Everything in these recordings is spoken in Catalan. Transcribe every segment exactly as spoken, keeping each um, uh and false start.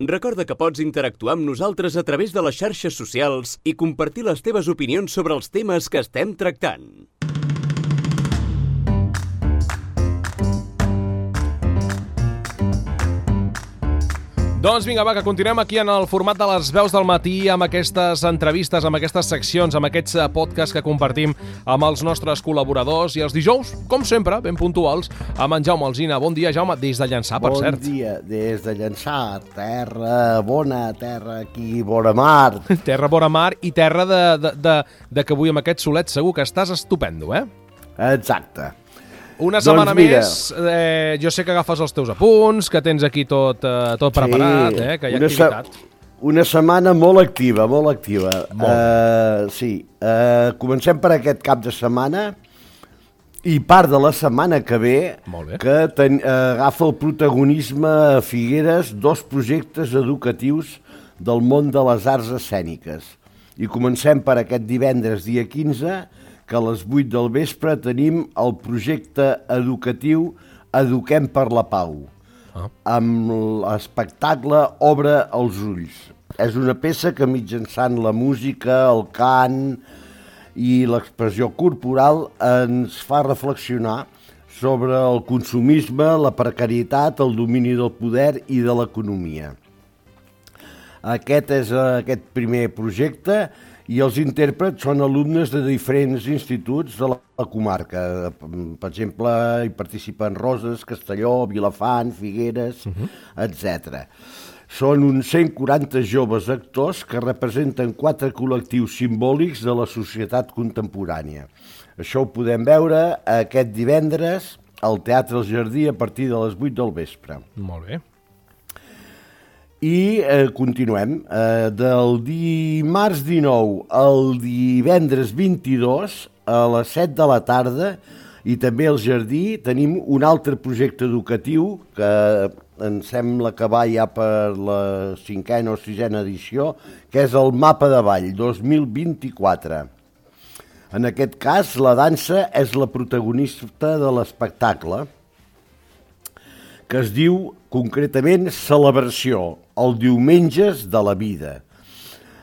Recorda que pots interactuar amb nosaltres a través de les xarxes socials i compartir les teves opinions sobre els temes que estem tractant. Doncs vinga, va, que continuem aquí en el format de les veus del matí amb aquestes entrevistes, amb aquestes seccions, amb aquests podcasts que compartim amb els nostres col·laboradors i els dijous, com sempre, ben puntuals, amb en Jaume Alsina. Bon dia, Jaume, des de Llançà, per bon cert. Bon dia, des de Llançà, terra bona, terra aquí, vora mar. Terra vora mar i terra de, de, de, de que avui amb aquest solet segur que estàs estupendo, eh? Exacte. Una setmana doncs mira, més, eh, jo sé que agafes els teus apunts, que tens aquí tot, eh, tot preparat, sí, eh, que hi ha una activitat. Se una setmana molt activa, molt activa. Molt. Uh, sí, uh, comencem per aquest cap de setmana i part de la setmana que ve, que ten, uh, agafa el protagonisme a Figueres dos projectes educatius del món de les arts escèniques. I comencem per aquest divendres, dia quinze, que a les vuit del vespre tenim el projecte educatiu Eduquem per la Pau, ah. amb l'espectacle Obre els ulls. És una peça que mitjançant la música, el cant i l'expressió corporal ens fa reflexionar sobre el consumisme, la precarietat, el domini del poder i de l'economia. Aquest és aquest primer projecte i els intèrprets són alumnes de diferents instituts de la comarca. Per exemple, hi participen Roses, Castelló, Vilafant, Figueres, uh-huh. etcètera. Són uns cent quaranta joves actors que representen quatre col·lectius simbòlics de la societat contemporània. Això ho podem veure aquest divendres al Teatre El Jardí a partir de les vuit del vespre. Molt bé. I eh, continuem. Eh, del dimarts dinou al divendres vint-i-dos a les set de la tarda i també al Jardí tenim un altre projecte educatiu que em sembla que va ja per la cinquena o sisena edició, que és el Mapa de Ball dos mil vint-i-quatre. En aquest cas, la dansa és la protagonista de l'espectacle, que es diu concretament Celebració, el diumenges de la vida.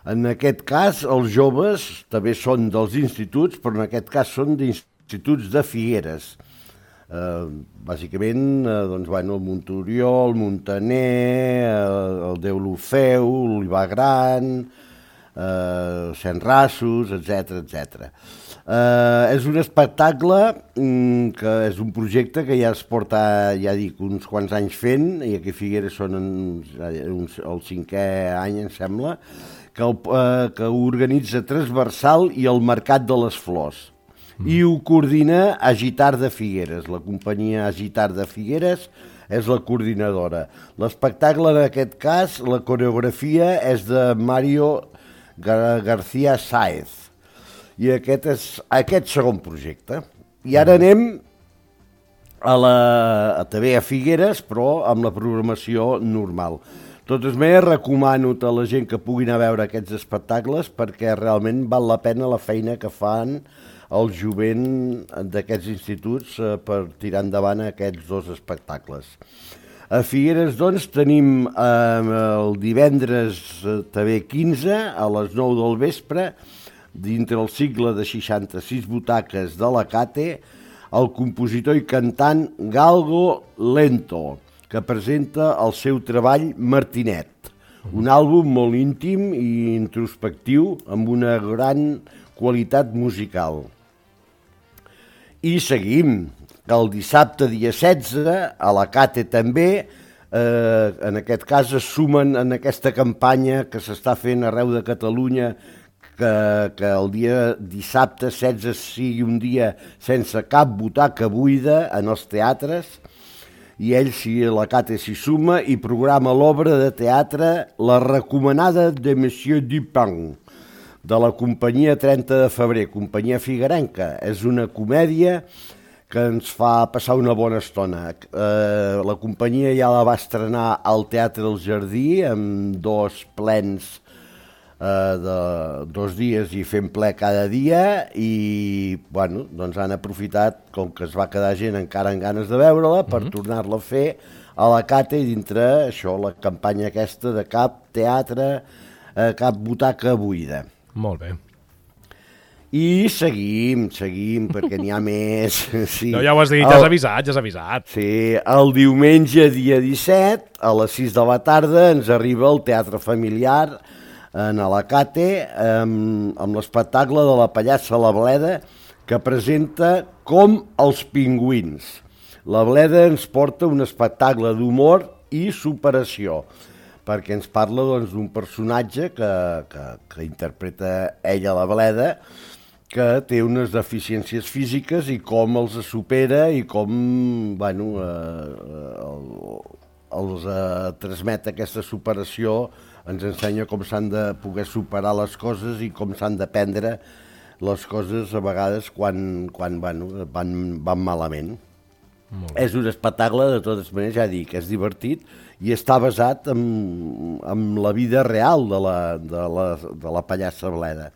En aquest cas, els joves també són dels instituts, però en aquest cas són d'instituts de Figueres. Eh, bàsicament, eh, doncs, bueno, el Montorió, el Montaner, el, el Deulofeu, l'Olivar Gran, eh, Centrassos, etcètera, etcètera. Uh, és un espectacle um, que és un projecte que ja es porta, ja dic, uns quants anys fent, i aquí a Figueres són uns, uns, el cinquè any, em sembla, que, el, uh, que ho organitza Transversal i el Mercat de les Flors. Mm. I ho coordina Agitar de Figueres, la companyia Agitar de Figueres és la coordinadora. L'espectacle, en aquest cas, la coreografia és de Mario Gar García Sáez. I aquest és aquest segon projecte. I ara anem a la, a, també a Figueres, però amb la programació normal. De totes maneres, recomano a la gent que puguin a veure aquests espectacles perquè realment val la pena la feina que fan el jovent d'aquests instituts eh, per tirar endavant aquests dos espectacles. A Figueres, doncs, tenim eh, el divendres eh, també quinze a les nou del vespre, dintre el cicle de seixanta-sis butaques de la Cate, el compositor i cantant Galgo Lento, que presenta el seu treball Martinet, un àlbum molt íntim i introspectiu amb una gran qualitat musical. I seguim. El dissabte, dia setze, a la Cate també, eh, en aquest cas es sumen en aquesta campanya que s'està fent arreu de Catalunya, Que, que el dia dissabte setze sigui un dia sense cap butaca buida en els teatres, i ell, si la Cate s'hi suma, i programa l'obra de teatre La recomanada de Monsieur Dupin, de la companyia trenta de febrer, companyia figuerenca. És una comèdia que ens fa passar una bona estona. Eh, la companyia ja la va estrenar al Teatre del Jardí amb dos plens Uh, de dos dies i fent ple cada dia, i bueno, doncs han aprofitat, com que es va quedar gent encara amb ganes de veure-la, per mm-hmm. tornar-la a fer a la Cate i dintre això, la campanya aquesta de cap teatre, eh, cap butaca buida. Molt bé. I seguim, seguim, perquè n'hi ha més. Sí. No, ja ho has dit, ja has avisat, ja has avisat. Sí, el diumenge, dia disset, a les sis de la tarda, ens arriba el Teatre Familiar en Alacate, amb, amb l'espectacle de la pallassa La Bleda, que presenta Com els pingüins. La Bleda ens porta un espectacle d'humor i superació, perquè ens parla doncs, d'un personatge que, que, que interpreta ella, la Bleda, que té unes deficiències físiques i com els supera i com bueno, eh, els eh, transmet aquesta superació, ens ensenya com s'han de poder superar les coses i com s'han de prendre les coses a vegades quan, quan bueno, van, van malament. És un espectacle, de totes maneres, ja dic, és divertit i està basat en, en la vida real de la, de la, de la pallassa Bleda.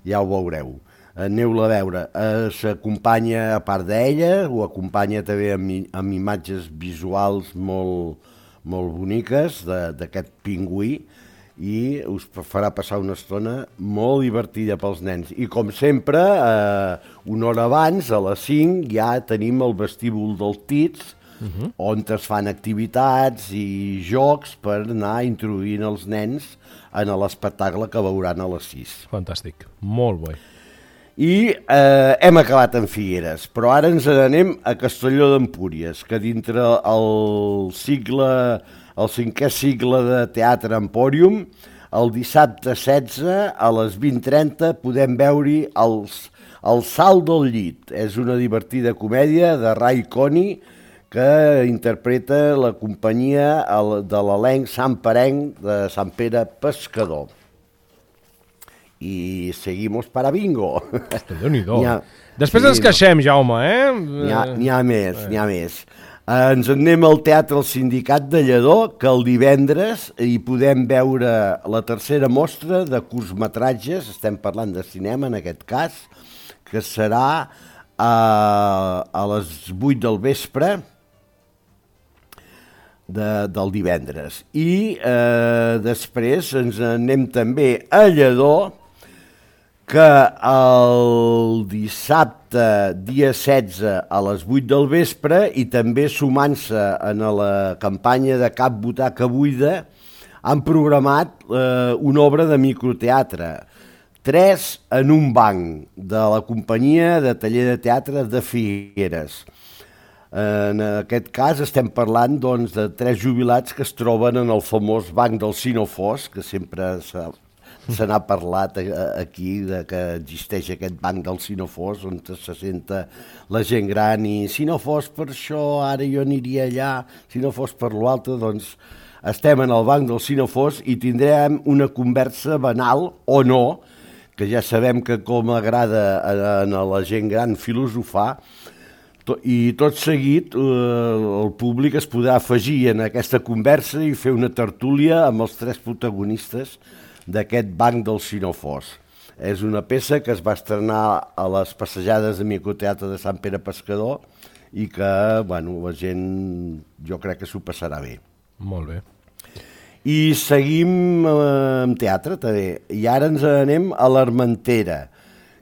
Ja ho veureu. Aneu-la a veure. Eh, s'acompanya, a part d'ella, ho acompanya també amb, amb imatges visuals molt, molt boniques d'aquest pingüí i us farà passar una estona molt divertida pels nens. I com sempre, eh, una hora abans, a les cinc, ja tenim el vestíbul del Tits, uh-huh. on es fan activitats i jocs per anar introduint els nens en l'espectacle que veuran a les sis. Fantàstic, molt bé. I eh, hem acabat en Figueres, però ara ens n'anem a Castelló d'Empúries, que dintre el cicle, el cinquè cicle de Teatre Empòrium, el dissabte setze a les vint trenta podem veure els, el Salt del Llit. És una divertida comèdia de Ray Coney que interpreta la companyia de l'elenc santperenc de Sant Pere Pescador. I seguimos para bingo. Déu-n'hi-do. Després sí, ens queixem, Jaume, eh? N'hi ha, n'hi ha més, n'hi ha més. Uh, ens anem al Teatre El Sindicat de Lledó, que el divendres hi podem veure la tercera mostra de curtmetratges, estem parlant de cinema en aquest cas, que serà uh, a les vuit del vespre de, del divendres. I uh, després ens anem també a Lledó, que el dissabte, dia setze, a les vuit del vespre, i també sumant-se en la campanya de Cap Butaca Buida, han programat eh, una obra de microteatre, Tres en un banc, de la companyia de taller de teatre de Figueres. En aquest cas estem parlant doncs, de tres jubilats que es troben en el famós banc del Sinofós, que sempre s'ha se n'ha parlat aquí de que existeix aquest banc del Sinofós on se senta la gent gran i si no fos per això ara jo aniria allà, si no fos per l'altre, doncs estem en el banc del Sinofós i tindrem una conversa banal o no, que ja sabem que com agrada a la gent gran filosofar, i tot seguit eh, el públic es podrà afegir en aquesta conversa i fer una tertúlia amb els tres protagonistes d'aquest banc del Sinofós. És una peça que es va estrenar a les passejades de microteatre de Sant Pere Pescador i que, bueno, la gent jo crec que s'ho passarà bé. Molt bé. I seguim eh, amb teatre també, i ara ens anem a l'Armentera,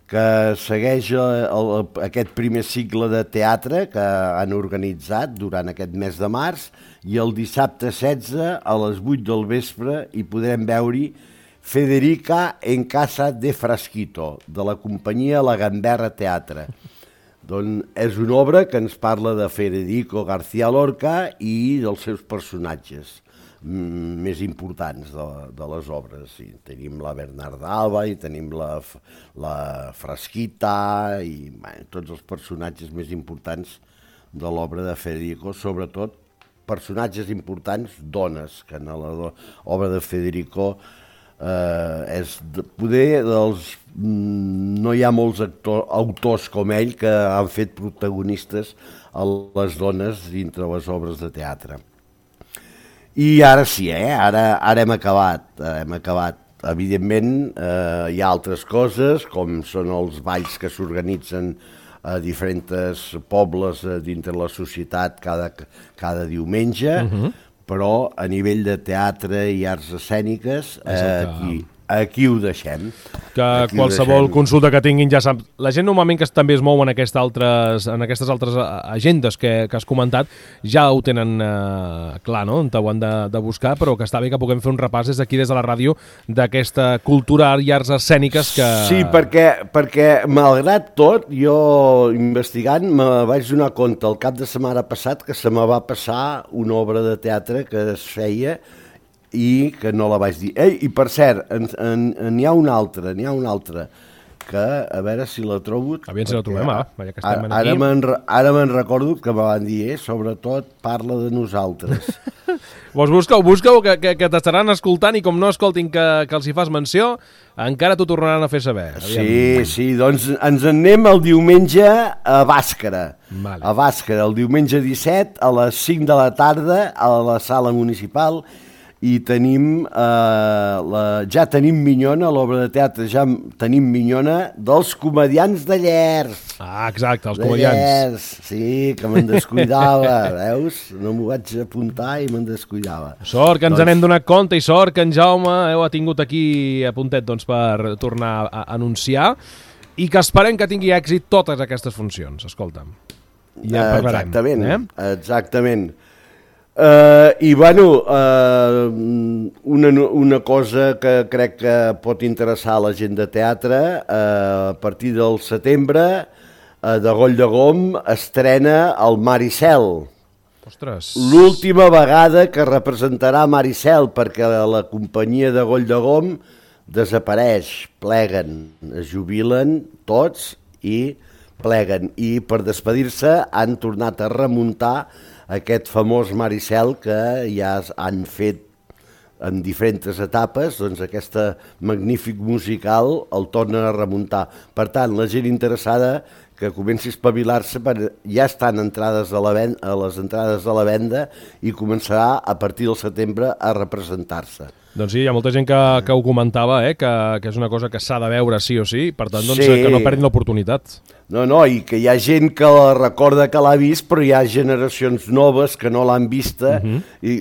que segueix el, el, aquest primer cicle de teatre que han organitzat durant aquest mes de març, i el dissabte setze a les vuit del vespre hi podrem veure Federica en casa de Frasquito, de la companyia La Gamberra Teatre. Doncs és una obra que ens parla de Federico García Lorca i dels seus personatges més importants de, de les obres. Sí, tenim la Bernarda Alba i tenim la, la Frasquita i bueno, tots els personatges més importants de l'obra de Federico, sobretot personatges importants, dones, que en l'obra de Federico eh, és de, poder dels... No hi ha molts actor, autors com ell que han fet protagonistes a les dones dintre les obres de teatre. I ara sí, eh? ara, ara hem acabat, hem acabat. Evidentment, eh, hi ha altres coses, com són els balls que s'organitzen a diferents pobles dintre la societat cada, cada diumenge, uh-huh. però a nivell de teatre i arts escèniques, eh, aquí, aquí ho deixem. Que aquí qualsevol consulta que tinguin ja sap. La gent normalment que també es mou en, aquest altres, en aquestes altres agendes que, que has comentat ja ho tenen eh, clar, no? On ho han de, de buscar, però que està bé que puguem fer un repàs des d'aquí, des de la ràdio, d'aquesta cultura i arts escèniques que... Sí, perquè, perquè malgrat tot, jo investigant me vaig donar compte el cap de setmana passat que se me va passar una obra de teatre que es feia i que no la vaig dir. Ei, i per cert, n'hi ha una altra, n'hi ha una altra, que a veure si la trobo... Aviam si la trobem, ah, ja que estem ara, aquí. Ara me'n recordo que me van dir, eh, sobretot parla de nosaltres. Vos busqueu, busqueu, que, que, que t'estaran escoltant i com no escoltin que, que els hi fas menció, encara t'ho tornaran a fer saber. Aviam. Sí, sí, doncs ens en anem el diumenge a Bàscara. Vale. A Bàscara, el diumenge disset, a les cinc de la tarda, a la sala municipal, i tenim, eh, la, ja tenim Minyona, a l'obra de teatre ja tenim Minyona dels comedians de Llers. Ah, exacte, els de comediants. Llers, sí, que me'n descuidava, veus? No m'ho vaig apuntar i me'n descuidava. Sort que ens doncs... n'hem donat compte i sort que en Jaume heu tingut aquí a puntet doncs, per tornar a anunciar i que esperem que tingui èxit totes aquestes funcions, escolta'm. Ja en parlarem. Exactament, eh? exactament. Uh, I, bueno, uh, una, una cosa que crec que pot interessar a la gent de teatre, uh, a partir del setembre, uh, de Goll de Gom estrena el Maricel. Ostres! L'última vegada que representarà Maricel, perquè la companyia de Goll de Gom desapareix, pleguen, es jubilen tots i pleguen. I per despedir-se han tornat a remuntar aquest famós Maricel que ja han fet en diferents etapes, doncs aquest magnífic musical el tornen a remuntar. Per tant, la gent interessada que comenci a espavilar-se, ja estan entrades a, la venda, a les entrades a la venda i començarà a partir del setembre a representar-se. Doncs sí, hi ha molta gent que, que ho comentava, eh? que, que és una cosa que s'ha de veure sí o sí, per tant, doncs, sí. que no perdin l'oportunitat. No, no, i que hi ha gent que la recorda que l'ha vist, però hi ha generacions noves que no l'han vista. Uh-huh. I,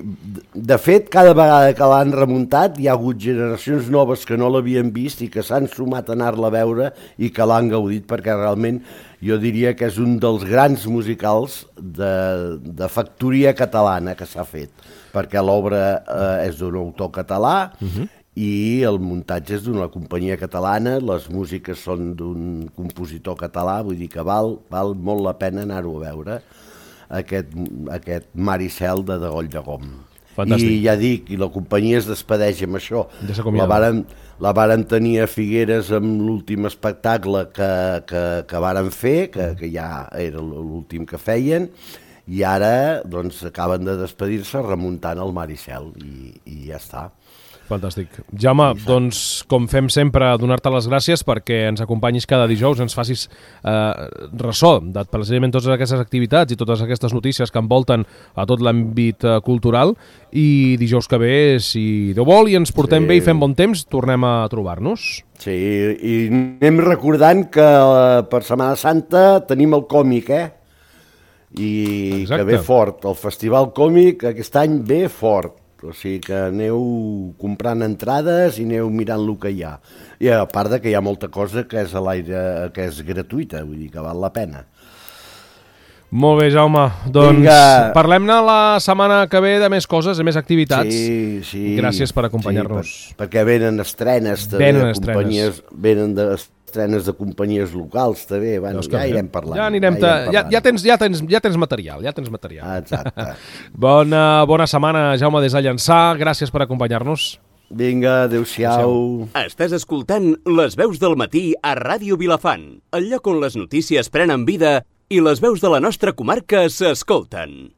de fet, cada vegada que l'han remuntat, hi ha hagut generacions noves que no l'havien vist i que s'han sumat a anar-la a veure i que l'han gaudit, perquè realment jo diria que és un dels grans musicals de, de factoria catalana que s'ha fet, perquè l'obra eh, és d'un autor català, uh-huh. i el muntatge és d'una companyia catalana, les músiques són d'un compositor català, vull dir que val, val molt la pena anar-ho a veure, aquest, aquest Maricel de Degoll de Gom. Fantàstic. I ja dic, i la companyia es despedeix amb això. Ja la varen, la varen tenir a Figueres amb l'últim espectacle que, que, que varen fer, que, que ja era l'últim que feien, i ara doncs, acaben de despedir-se remuntant el Maricel, i, i ja està. Fantàstic. Jaume, doncs, com fem sempre, donar-te les gràcies perquè ens acompanyis cada dijous, ens facis eh, ressò de precisament totes aquestes activitats i totes aquestes notícies que envolten a tot l'àmbit eh, cultural, i dijous que ve, si Déu vol i ens portem sí. bé i fem bon temps, tornem a trobar-nos. Sí, i anem recordant que eh, per Setmana Santa tenim el còmic, eh? I Exacte. Que ve fort. El Festival Còmic aquest any ve fort. O sigui que aneu comprant entrades i aneu mirant el que hi ha. I a part de que hi ha molta cosa que és a l'aire, que és gratuïta, vull dir que val la pena. Molt bé, Jaume. Doncs Vinga. Parlem-ne la setmana que ve de més coses, de més activitats. Sí, sí. Gràcies per acompanyar-nos. Sí, per, perquè venen estrenes també. Venen de estrenes. Venen de estrenes de companyies locals també. Bueno, ja irem parlant. Ja anirem, ja, irem ja, ja, tens, ja, tens, ja tens material, ja tens material. Exacte. bona, bona setmana, Jaume, des de Llançà. Gràcies per acompanyar-nos. Vinga, adéu-siau. Estàs escoltant Les Veus del Matí a Ràdio Vilafant, el lloc on les notícies prenen vida i les veus de la nostra comarca s'escolten.